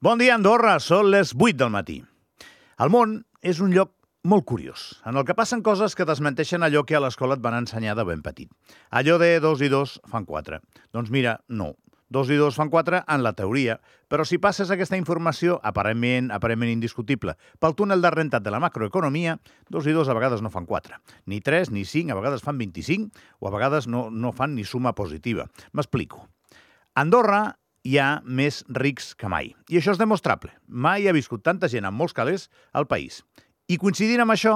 Bon dia, Andorra. Són les 8 del matí. El món és un lloc molt curiós, en el que passen coses que desmenteixen allò que a l'escola et van ensenyar de ben petit. Allò de 2 i 2 fan 4. Doncs mira, no. 2 i 2 fan 4 en la teoria, però si passes aquesta informació aparentment indiscutible pel túnel de rentat de la macroeconomia, 2 i 2 a vegades no fan 4. Ni 3 ni 5, a vegades fan 25, o a vegades no fan ni suma positiva. M'explico. A Andorra hi ha més rics que mai. I això és demostrable. Mai ha viscut tanta gent amb molts calés al país. I coincidint amb això,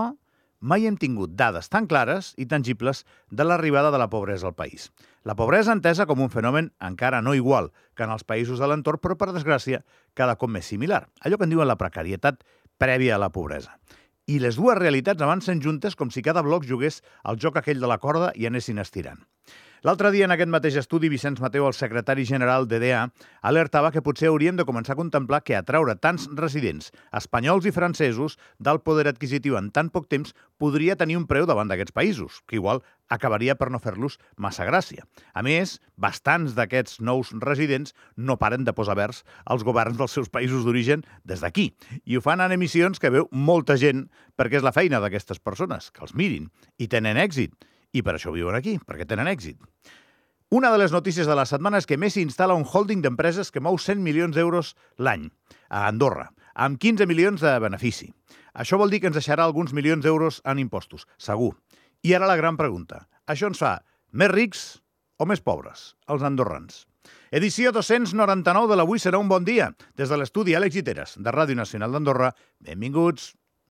mai hem tingut dades tan clares i tangibles de l'arribada de la pobresa al país. La pobresa entesa com un fenomen encara no igual que en els països de l'entorn, però, per desgràcia, cada cop més similar. Allò que en diuen la precarietat prèvia a la pobresa. I les dues realitats avancen juntes com si cada bloc jugués al joc aquell de la corda i anessin estirant. L'altre dia, en aquest mateix estudi, Vicenç Mateu, el secretari general d'EDA, alertava que potser hauríem de començar a contemplar que atraure tants residents espanyols i francesos d'alt poder adquisitiu en tan poc temps podria tenir un preu davant d'aquests països, que igual acabaria per no fer-los massa gràcia. A més, bastants d'aquests nous residents no paren de posar vers als governs dels seus països d'origen des d'aquí, i ho fan en emissions que veu molta gent perquè és la feina d'aquestes persones, que els mirin, i tenen èxit. I per això viuen aquí, perquè tenen èxit. Una de les notícies de la setmana és que Messi instal·la un holding d'empreses que mou 100 milions d'euros l'any a Andorra, amb 15 milions de benefici. Això vol dir que ens deixarà alguns milions d'euros en impostos, segur. I ara la gran pregunta. Això ens fa més rics o més pobres, els andorrans? Edició 299 de l'Avui serà un bon dia. Des de l'estudi Àlex Giteres, de Ràdio Nacional d'Andorra, benvinguts.